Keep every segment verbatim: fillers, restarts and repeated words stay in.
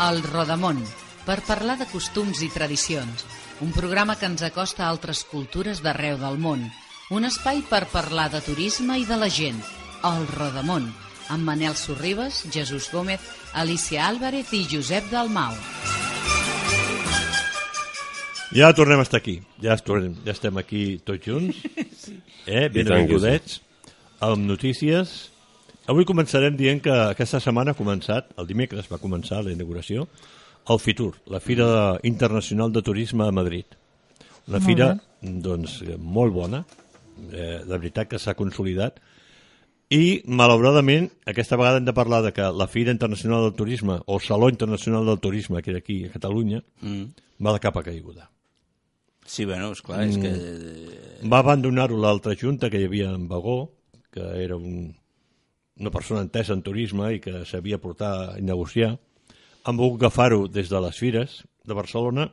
El Rodamón, per parlar de costums i tradicions. Un programa que ens acosta a altres cultures d'arreu del món. Un espai per parlar de turisme i de la gent. El Rodamón, amb Manel Sorribes, Jesús Gómez, Alicia Álvarez i Josep Dalmau. Ja tornem a estar aquí. Ja, tornem, ja estem aquí tots junts. Eh? Benvinguts. Amb notícies. Avui començarem dient que aquesta setmana ha començat, el dimecres va començar la inauguració, el FITUR, la Fira Internacional de Turisme a Madrid. Una fira doncs, molt bona, eh, de veritat que s'ha consolidat, i malauradament aquesta vegada hem de parlar de que la Fira Internacional del Turisme, o Saló Internacional del Turisme, que era aquí a Catalunya, mm. va de capa caiguda. Sí, bueno, esclar, és que... Va abandonar-ho l'altra junta que hi havia en Bagó, que era un... una persona entesa en turisme i que sabia portar i negociar, han volgut agafar-ho des de les fires de Barcelona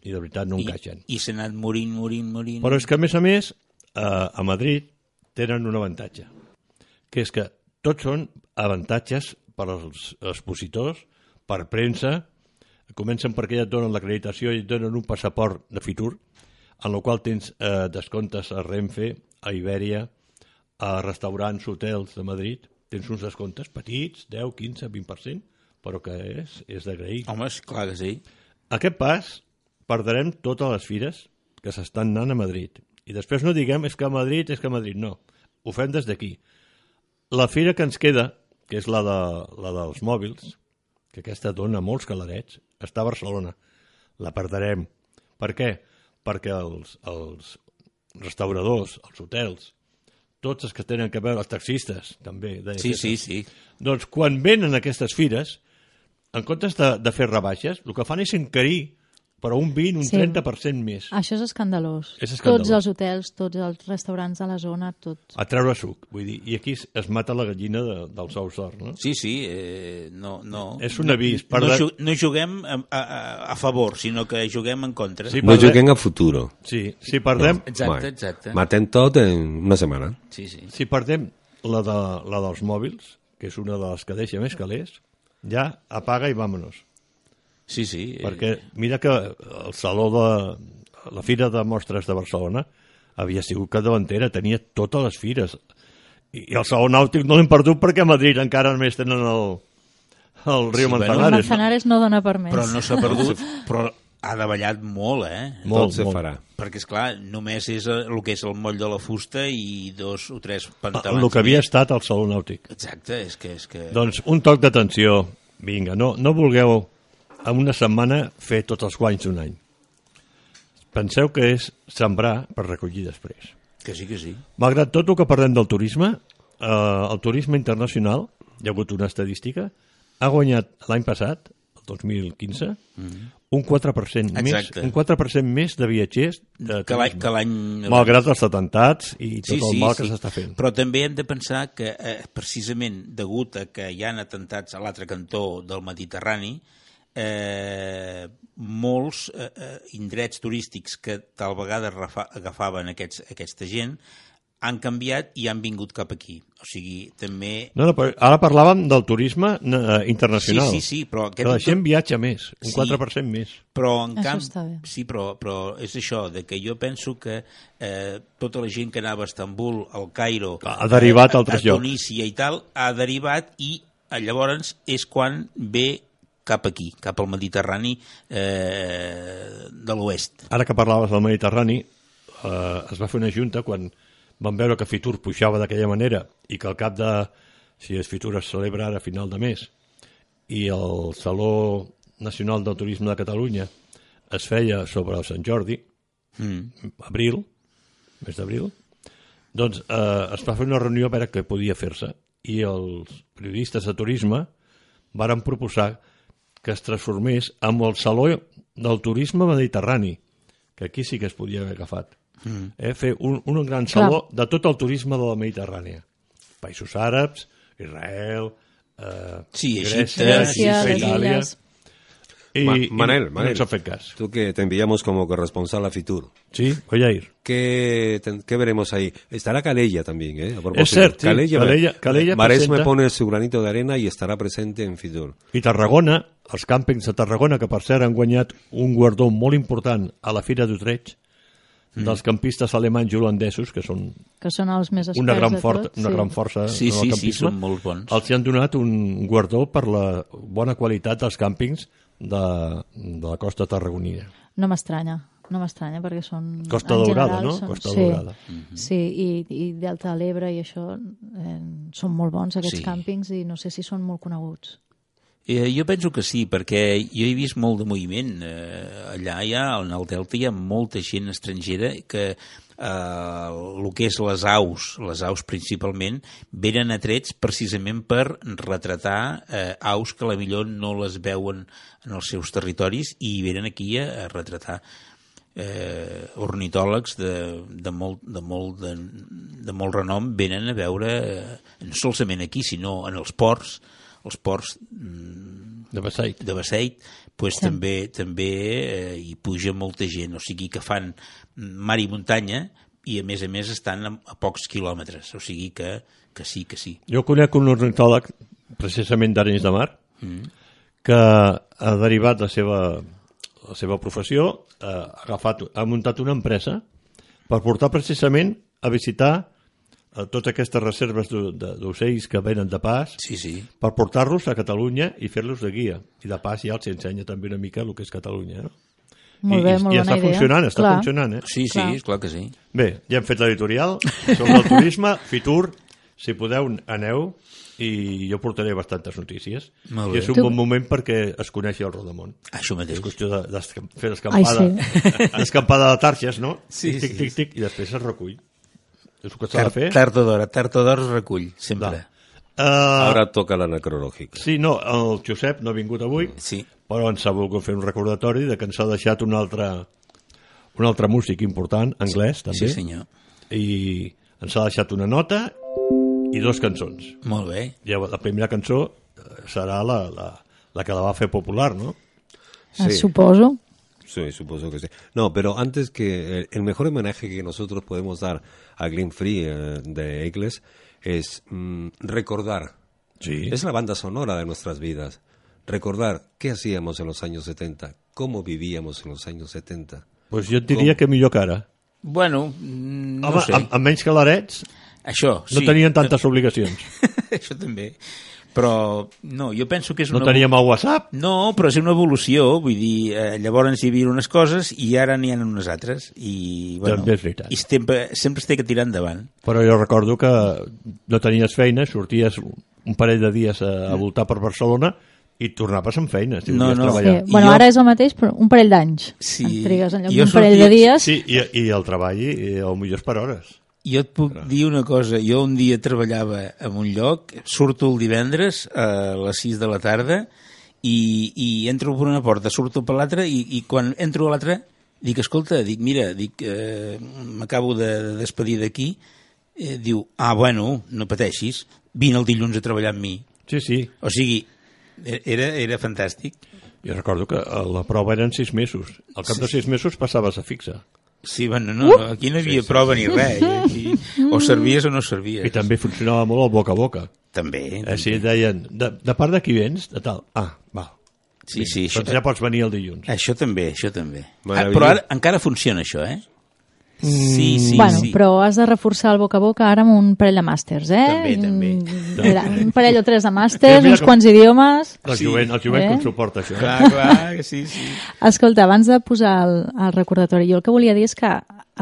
i de veritat no encaixen. I, i s'ha anat morint, morint, morint... Però és que, a més a més, a, a Madrid tenen un avantatge, que és que tots són avantatges per als expositors, per premsa, comencen perquè ja et donen l'acreditació i et donen un passaport de FITUR, en el qual tens eh, descomptes a Renfe, a Ibèria, a restaurants, hotels de Madrid, tens uns descomptes petits, deu, quinze, vint per cent, però que és, és d'agrair. Home, és clar que sí. Aquest pas perdrem totes les fires que s'estan anant a Madrid. I després no diguem és que a Madrid, és que a Madrid, no. Ho fem des d'aquí. La fira que ens queda, que és la, de, la dels mòbils, que aquesta dona molts calarets, està a Barcelona. La perdrem. Per què? Perquè els, els restauradors, els hotels, tots els que tenen que veure, els taxistes, també. Sí, sí, sí. Doncs quan venen aquestes fires, en comptes de, de fer rebaixes, el que fan és encarir però un vint, un sí. trenta per cent més. Això és escandalós. És escandalós. Tots els hotels, tots els restaurants de la zona, tot. A treure suc, vull dir, i aquí es mata la gallina de, dels ous d'or, no? Sí, sí, eh, no, no... És un avís. No, no, ju no juguem a, a, a favor, sinó que juguem en contra. Sí, no juguem a futuro. Sí, si perdem... No. Exacte, exacte. Matem tot en una setmana. Sí, sí. Si perdem la, de, la dels mòbils, que és una de les que deixa més calés, ja apaga i vámonos. Sí, sí. Perquè mira que el saló de la Fira de Mostres de Barcelona havia sigut capdavantera, tenia totes les fires. I, i el saló nàutic no l'hem perdut perquè a Madrid encara només tenen el, el riu sí, Manzanares. El Manzanares no dona per més. Però no s'ha perdut, però ha davallat molt, eh? Molt, Tot se molt. farà. Perquè, esclar, només és el que és el moll de la fusta i dos o tres pantalons. El que havia estat el saló nàutic. Exacte, és que... És que... Doncs un toc d'atenció. Vinga, no, no vulgueu en una setmana fer tots els guanys d'un any. Penseu que és sembrar per recollir després. Que sí, que sí. Malgrat tot el que parlem del turisme, eh, el turisme internacional, hi ha hagut una estadística, ha guanyat l'any passat, el dos mil quinze, mm-hmm. un quatre per cent més, un quatre per cent més de viatgers de turisme. Que l'any... Malgrat els atemptats i tot sí, el sí, mal sí. que s'està fent. Però també hem de pensar que, eh, precisament, degut a que hi ha atemptats a l'altre cantó del Mediterrani, Eh, molts eh, indrets turístics que tal vegada agafaven aquests, aquesta gent han canviat i han vingut cap aquí. O sigui, també... No, no, però ara parlàvem del turisme eh, internacional. Sí, sí, sí, però... Que la gent viatja més, un sí, quatre per cent més. Però en això camp... està bé. Sí, però, però és això, de que jo penso que eh, tota la gent que anava a Istanbul, al Cairo... Ha derivat a altres a, a llocs. Tunísia i tal, ha derivat i llavors és quan ve cap aquí, cap al Mediterrani eh, de l'oest. Ara que parlaves del Mediterrani, eh, es va fer una junta quan van veure que FITUR pujava d'aquella manera i que al cap de, si és FITUR es celebra ara a final de mes, i el Saló Nacional del Turisme de Catalunya es feia sobre el Sant Jordi, mm. abril, mes d'abril, doncs eh, es va fer una reunió a veure què podia fer-se i els periodistes de turisme varen proposar que es transformés en el Saló del Turisme Mediterrani, que aquí sí que es podia haver agafat. Mm. Eh, fer un, un gran saló Clar. de tot el turisme de la Mediterrània. Països àrabs, Israel, eh, sí, Grècia, Grècia, Itàlia... Y, Ma- y Manel, no, Manel, no nos ha fet cas. tú que te enviamos como corresponsal a Fitur, Sí, voy a ir. ¿qué, te- qué veremos ahí? Estará Calella también, ¿eh? A propósito. Es cierto, sí. Calella, Calella- Calella Maresme presenta- pone su granito de arena y estará presente en Fitur. I Tarragona, els càmpings de Tarragona, que per cert han guanyat un guardó molt important a la Fira d'Utrecht, dels campistes alemanys i holandesos, que són Que són els més experts una gran, de fort, tot. una gran força Sí, en el sí, sí, campisme, són molt bons. els hi han donat un guardó per la bona qualitat dels càmpings de, de la costa tarragonina. No m'estranya, no m'estranya perquè són... Costa en Daurada, general, no? Són, Costa sí, Daurada. Sí, i, i Delta de l'Ebre i això eh, són molt bons aquests Sí. càmpings i no sé si són molt coneguts. Eh, jo penso que sí, perquè jo he vist molt de moviment. Eh, allà hi ha, en el Delta hi ha molta gent estrangera que eh, el que és les aus, les aus principalment, venen atrets precisament per retratar eh, aus que a la millor no les veuen en els seus territoris i venen aquí a, a retratar eh, ornitòlegs de, de, molt, de, molt, de, de molt renom venen a veure, eh, no solament aquí, sinó en els ports, els ports mm, De Beseit. de Beseit, pues Sí. també també eh, hi puja molta gent, o sigui que fan mar i muntanya i a més a més estan a, a pocs quilòmetres, o sigui que, que sí, que sí. Jo conec un ornitòleg, precisament d'Arenys de Mar, Mm. que ha derivat la seva, la seva professió, eh, ha, agafat, ha muntat una empresa per portar precisament a visitar eh, totes aquestes reserves d'o- de- d'ocells que venen de pas, Sí, sí. per portar-los a Catalunya i fer-los de guia. I de pas ja els ensenya també una mica el que és Catalunya. No? Molt I, bé, i, molt i bona està idea. funcionant, està Clar. funcionant. Eh? Sí, sí, Clar. és clar que sí. Bé, ja hem fet l'editorial sobre el turisme, Fitur, si podeu, aneu, i jo portaré bastantes notícies. Molt I bé. és un Tu- bon moment perquè es coneixi el Rodamont. Això mateix. És qüestió de, de fer l'escampada, Ai, l'escampada de targes, no? Sí, tic, tic, sí, tic, sí. tic, i després es recull. És el que s'ha de fer. Tard o d'hora, tard o d'hora es recull, sempre. Uh, Ahora toca la necrológica. sí, no, el Josep no ha vingut avui, Sí. però ens ha volgut fer un recordatori de que ens ha deixat un altre, un altre músic important, anglès, també, Sí, senyor. i ens ha deixat una nota i dos cançons. Molt bé. I la primera cançó eh, serà la, la, la que la va fer popular, no? Ah, Sí. suposo. Sí, supongo que sí. No, pero antes que el, el mejor homenaje que nosotros podemos dar a Glenn Free eh, de Eagles es mm, recordar. Sí. Es la banda sonora de nuestras vidas. Recordar qué hacíamos en los años setenta, cómo vivíamos en los años setenta. Pues jo et diria que millor que ara. Bueno, mm, no Home, sé. amb, amb menys calarets Això, no sí. tenien tantes obligacions. Això també. Però, no, jo penso que és No una... teníem el WhatsApp. No, però és una evolució, vull dir, eh, llavors hi havia unes coses i ara n'hi ha unes altres. I, bueno, També és veritat. I sempre, sempre es té que tirar endavant. Però jo recordo que no tenies feina, sorties un parell de dies a, a voltar per Barcelona i tornaves amb feina, si No, volies no. Sí. treballar. I Bueno, jo- ara és el mateix, però un parell d'anys. Sí. En trigues en lloc Jo d'un parell de sortia- dies. Sí, i, i el treball, i el millor és per hores. Jo et puc dir una cosa, jo un dia treballava en un lloc, surto el divendres a les sis de la tarda i, i entro per una porta, surto per l'altra i, i quan entro a l'altra dic, escolta, dic, mira, dic, eh, m'acabo de, de despedir d'aquí, eh, diu, ah, bueno, no pateixis, vine el dilluns a treballar amb mi. Sí, sí. O sigui, era, era fantàstic. Jo recordo que la prova eren sis mesos. Al cap de sis mesos passaves a fixa. Sí, bueno, no, aquí no hi havia prova ni res, eh? Aquí, o servies o no servies. I també funcionava molt el boca a boca. També, Eh, si també. deien, de, de part de qui vens? De tal. Ah, val. Sí, sí, això, Doncs ja pots venir el dilluns. Això també, això també. Ah, Meravellós. però ara encara funciona això, eh? Sí, sí, bueno, sí. però has de reforçar el boca a boca ara amb un parell de màsters, eh? També, també. Mm, Mira, un parell o tres de màsters, Mira uns com- quants idiomes... El Sí. jovent, el jovent Eh? com suporta això. Eh? Clar, clar, sí, sí. Escolta, abans de posar el, el recordatori, jo el que volia dir és que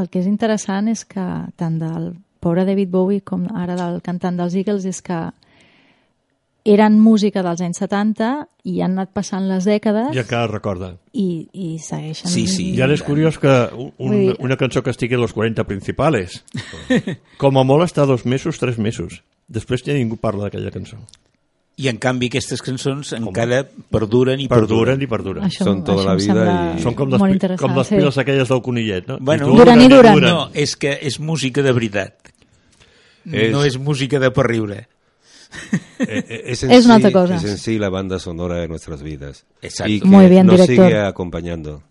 el que és interessant és que tant del pobre David Bowie com ara del cantant dels Eagles és que eren música dels anys setanta i han anat passant les dècades I encara recorda. i, i segueixen. Sí, sí. I ara és curiós que un, Vull dir- una cançó que estigui a los quaranta principales, com a molt està dos mesos, tres mesos. Després ja ningú parla d'aquella cançó. I en canvi aquestes cançons encara perduren i Perduren perduren. i perduren. Això, Són tota això la em vida sembla i- Són com les, molt pi- interessant. com les sí. piles aquelles del conillet, no? Bueno, I Duren i duren. No, és que és música de veritat. És- No és música de per riure. Eh, es, en es una sí, otra cosa. Es en sí la banda sonora de nuestras vidas. Exacto. Y que Muy bien, nos director. sigue acompañando.